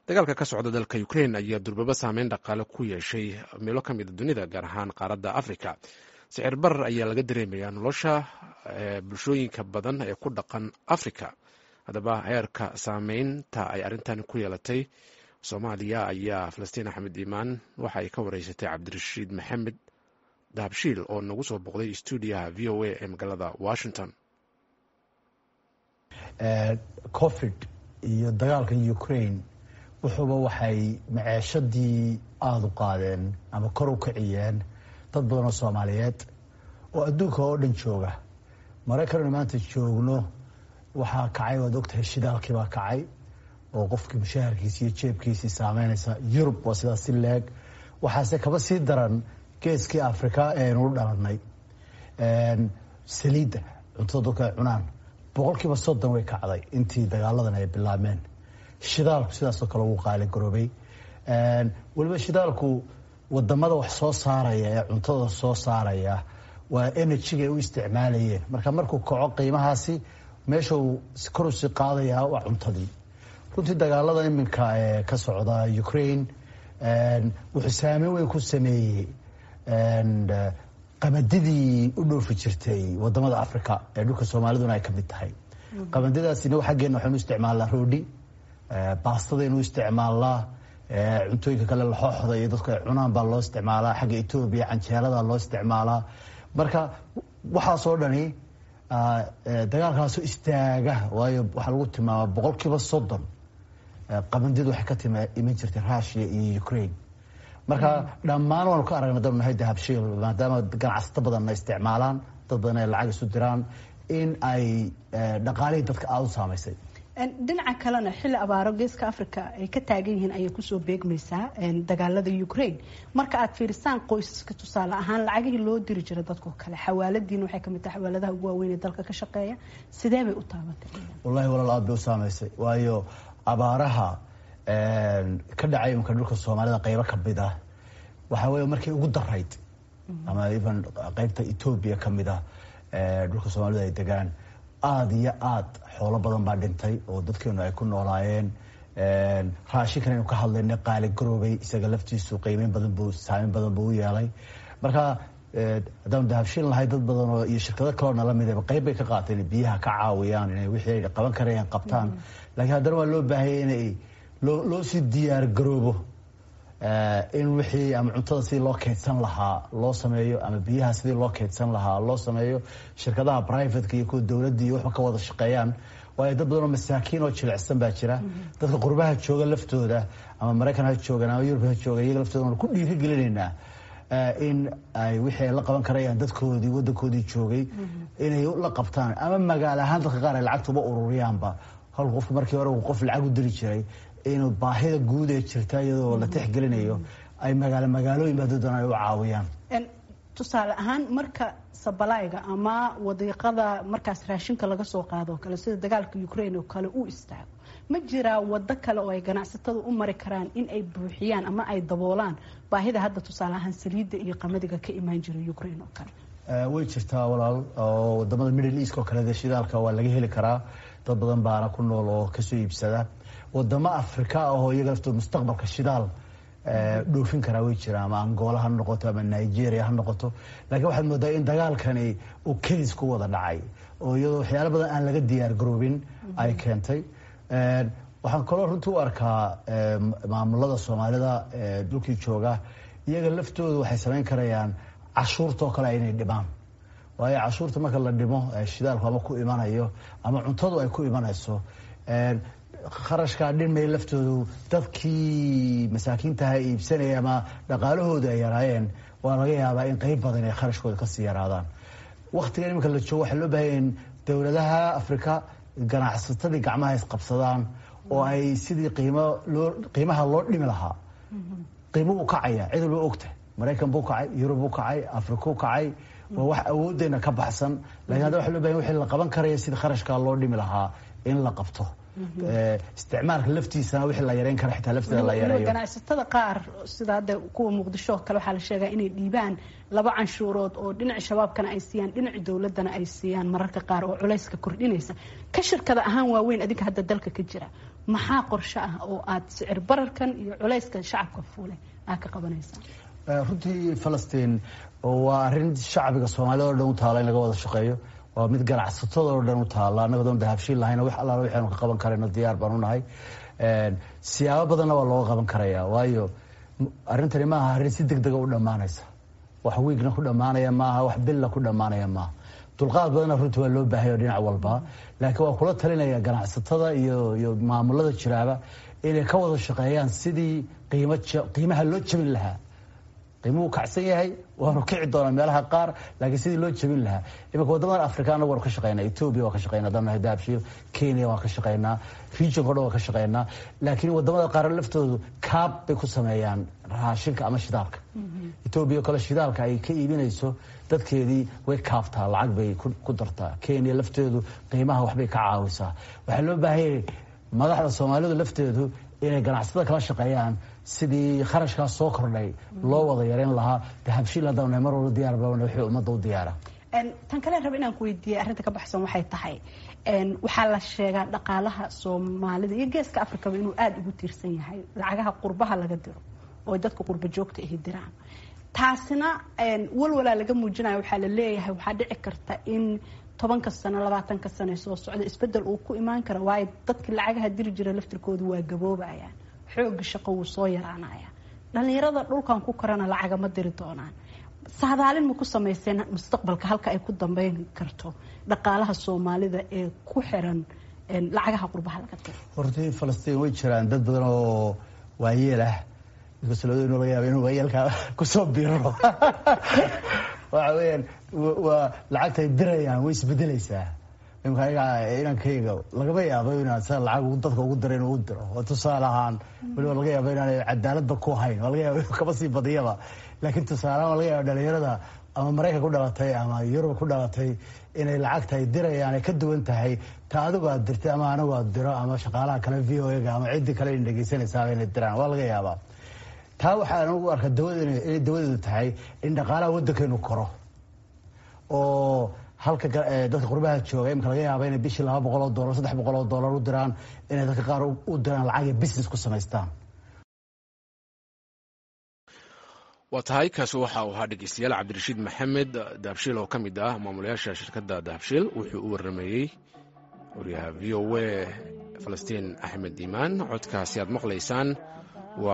Dagaalka ka socda dalka Ukrain ayaa durbaba saameyn dhaqaale ku yeeshay meelo ka mida dunida, gaar ahaan qaaradda Africa. Sicir barar ayaa laga dareemayaa nolosha bulshooyinka badan ee ku dhaqan Africa. Haddaba, heerka saameynta ay arrintan ku yeelatay Soomaaliya ayaa Falastiin Axmed Iimaan waxa ay ka wareysatay Cabdirashiid Maxamed Dahabshiil oo nagu soo boqday stuudiyaha VOA ee magaalada Washington. Covid iyo dagaalka Ukraine wuxuuba waxay maceeshadii aada u qaadeen ama kor u kiciyeen dad badan oo Soomaaliyeed oo adduunka oo dhan jooga. Maraykannu maanta joogno waxaa kacay, waad ogtahay, shidaalkii baa kacay oo qofkii mushaharkiisi iyo jeebkiisii saameynaysa. Yurub waa sidaas si leeg. Waxaase kaba sii daran geeskii Afrika ee aynu u dhalanay. Saliidda cuntada dadku ay cunaan 30% way kacday intii dagaaladan ay bilaabmeen. Shidaalku sidaasoo kale wuu qaaligaroobay. Weliba shidaalku wadamada wax soo saaraya ee cuntada soo saaraya waa energy-ga ay u isticmaalayeen. Marka markuu kaco qiimahaasi, meesha uu kor usii qaadayaa waa cuntadii. Runtii dagaalada iminka ee ka socda Ukraine wuxuu saameyn weyn ku sameeyey qamadidii u dhoofi jirtay wadamada Africa ee dhulka Soomaaliduna ay ka mid tahay. Qamadidaasina xaggeena waxaynu isticmaalnaa roodhi, baastadaynu isticmaalnaa, cuntooyinka kale laxooxda iyo dadku ay cunaan baa loo isticmaalaa. Xagga Etoobiya canjeelada loo isticmaalaa. Marka waxaasoo dhani dagaalkaasu istaaga, waayo waxaa lagu tilmaamaa 30% qabandidu waxay ka tima iman jirtay Russia iyo Ukraine. Marka dhammaan waanu ka aragna danu nahay Dahabshiil, maadaama ganacsato badanna isticmaalaan, dad badan ay lacag isu diraan, in ay dhaqaalihii dadka aada u saamaysay. Dhinaca kalena, xilli abaaro geeska Africa ay ka taagan yihiin ayay kusoo beegmaysaa dagaalada Ukraine. Marka aad fiirisaan qoysaska, tusaale ahaan lacagihii loo diri jiray dadkoo kale, xawaaladiina waxay kamid tahay xawaaladaha ugu waaweyn ee dalka ka shaqeeya, sidee bay u taabatay? Wallahi walaal, aad bay u saamaysay, waayo abaaraha ka dhacay imika dhulka Soomaalida qeybo kamid ah waxaa weeye markii ugu darayd, ama even qeybta Etoobiya kamid ah dhulka Soomaalida ay degaan, aada iyo aada xoolo badan baa dhintay oo dadkeenu ay ku noolaayeen. Raashinkan aynu ka hadlaynay qaali garoobay, isaga laftiisu qiimeyn badan buu, saameyn badan buu u yeelay. Marka haddaanu Dahabshiil lahay, dad badan oo iyo shirkado kaloo nala midaba qayb bay ka qaateen inay biyaha ka caawiyaan, inay wixii ay qaban karayaan qabtaan. Laakiin haddana waa loo baahayay inay loo sii diyaar garoobo in wixii ama cuntada sidii loo keydsan lahaa loo sameeyo ama biyaha sidii loo keydsan lahaa loo sameeyo, shirkadaha private-ka iyo kuwa dowladda iyo waxba ka wada shaqeeyaan, waayo dad badan oo masaakiin oo jilicsan baa jira. Dadka qurbaha jooga laftooda, ama Maraykan ha joogan ama Yurub ha joogan, iyaga laftooda waanu ku dhiirigelinaynaa in ay wixii ay la qaban karayaan dadkoodii waddankoodii joogay inay la qabtaan, ama magaalo ahaan dadka qaar ay lacagta uba ururiyaanba, halku qofku markii hore uu qof lacag u diri jiray, inuu baahida guud ee jirta iyadoo la tixgelinayo ay magaalo magaalooyin ba dad ay u caawiyaan. Tusaale ahaan, marka sabalayga ama wadiiqada markaas raashinka laga soo qaado kale, sida dagaalka Ukraine oo kale uu istaago, ma jiraa wado kale oo ay ganacsatada u mari karaan in ay buuxiyaan ama ay daboolaan baahida hadda, tusaale ahaan saliidda iyo qamadiga ka imaan jira Ukraine oo kale? Way jirtaa walaal, oo wadamada Middle East oo kale dee shidaalka waa laga heli karaa, dad badan baana ku nool oo kasoo iibsada. Wadamo Afrika ah oo iyaga laftooda mustaqbalka shidaal dhoofin karaa way jiraan, ama Angola ha noqoto ama Nigeria ha noqoto. Laakiin waxaad moodaa in dagaalkani uu kedis ku wada dhacay oo iyadoo waxyaalo badan aan laga diyaar garoobin ay keentay. Waxaan kaloo runtii u arkaa maamulada Soomaalida dhulkii jooga iyaga laftooda waxay samayn karayaan cashuurta oo kale inay dhimaan, waayo cashuurta marka la dhimo shidaalku ama ku imanayo ama cuntadu ay ku imanayso, kharashkaa dhinmay laftoodu dadkii masaakiintaha iibsanaya ama dhaqaalahooda ay yaraayeen, waa laga yaabaa in qeyb badan ay kharashkooda kasii yaraadaan. Waktigan iminka la joogo waxaa loo bahanya in dowladaha Afrika ganacsatadii gacmaha isqabsadaan oo ay sidii qiimo loo qiimaha loo dhimi lahaa. Qiimo uu kacaya cid walba ogta, Maraykan buu kacay, Yurub buu kacay, Afrikuu kacay, waa wax awooddeena ka baxsan. Lakin hadda waxa loo bahanya wixii la qaban karaya sidii kharashkaa loo dhimi lahaa in la qabto, isticmaalka laftiisana wixii la yareyn kara xitaa lafteeda la yareeyo. Ganacsatada qaar, sida hadda kuwa Muqdisho oo kale, waxaa la sheegaa inay dhiibaan laba canshuurood oo dhinaca Shabaabkana ay siiyaan, dhinaca dowladdana ay siiyaan mararka qaar, oo culayska kordhinaysa. Ka shirkada ahaan waaweyn adinka hadda dalka ka jira, Maxaa qorshe ah oo aad sicir bararkan iyo culayskan shacabka fuule aad ka qabanaysaa? Runtii, Falastiin, waa arrin shacbiga Soomaalida o dhan u taala in laga wada shaqeeyo. Waa mid ganacsatada oo dhan u taala. Annaga doon Dahabshiil lahayna, wax allaala waxaanu ka qaban karayno diyaar baan u nahay. Siyaabo badanna waa looga qaban karaya, waayo arrintani maaha arrin si deg dega u dhammaanaysa. Wax wiigna ku dhammaanaya maaha, wax billa ku dhammaanaya maaha. Dulqaad badanna runtii waa loo baahaya dhinac walba, laakiin waa kula talinaya ganacsatada iyo maamulada jiraaba inay ka wada shaqeeyaan sidii qiimo qiimaha loo jabin lahaa. Qiimuhu kacsan yahay, waanu kici doonaa meelaha qaar, laakiin sidii loo jabin lahaa. Iminka waddamadan Afrika anagu waanu ka shaqeynaa. Etoobiya waan ka shaqeynaa haddaan nahay Dahabshiil, Kenya waan ka shaqeynaa, regionka o dhan waan ka shaqeynaa, laakiin waddamada qaar laftoodu kaab bay ku sameeyaan raashinka ama shidaalka. Etoobiya o kale shidaalka ay ka iibinayso dadkeedii way kaabtaa, lacag bay ku dartaa. Kenya lafteedu qiimaha waxbay ka caawisaa. Waxaa loo baahanyay madaxda Soomaalidu lafteedu inay ganacsatada kala shaqeeyaan sidii kharashkaas soo kordhay loo wada yareyn lahaa. Dahabshiil haddaan mar walba diyaar baan wixii ummadda u diyaara. Tan kale raba inaan ku weydiiyey arrinta ka baxsan waxay tahay, waxaa la sheegaa dhaqaalaha Soomaalida iyo Geeska Afrikaba inuu aada ugu tiirsan yahay lacagaha qurbaha laga diro oo dadka qurba joogta ahi diraan. Taasina walwalaa laga muujinayo. Waxaa la leeyahay waxaa dhici karta in 10-ka sano, 20-ka sano soo socda isbedel uu ku imaan kara, waayo dadkii lacagaha diri jira laftirkoodu waa gaboobayaan, xooga shaqo wuu soo yaraanaya, dhalinyarada dhulkan ku korana lacaga ma diri doonaan. Saadaalin ma ku samayseen mustaqbalka halka ay ku dambeyn karto dhaqaalaha Soomaalida ee ku xiran lacagaha qurbaha laga diro? Hortii, Falastiin, way jiraan dad badan oo waayeel ah, inkastoo labadeenoo laga yaaba inuu waayeelka kusoo biro. Waxa weeyaan, waa lacagta ay dirayaan way isbedelaysaa. Imka ayaga inankayga lagama yaabo inaan sa lacag dadka ugu dira inuu u diro oo tusaale ahaan weliba laga yaabo inaanay cadaaladba ku hayn, waa laga yaabo inuu kaba sii badiyaba. Laakiin tusaale ahaan waa laga yaaba dhalinyarada ama Maraykan ku dhalatay ama Yurub ku dhalatay inay lacagta ay dirayaan ay ka duwan tahay ta adigu aad dirtay ama anigu aad diro ama shaqaalaha kale VOA-ga ama ciddii kale in dhegeysanaysaaba inay diraan, waa laga yaabaa. Taa waxaan ugu arkaa dawada inay dawadeedu tahay in dhaqaalaha waddankeenu koro, oo halka dadka qurbaha jooga imika laga yaaba inay bishii $200, $300 u diraan, inay dadka qaar u diraan lacag ay business ku samaystaan. Waa tahay, kaasi waxa uu ahaa, dhegeystayaal, Cabdirashiid Maxamed Dahabshiil oo ka mid ah maamulayaasha shirkadda Dahabshiil. Wuxuu u warrameeyey wariyaha VOA Falastiin Axmed Iimaan. Codkaasi aad maqlaysaan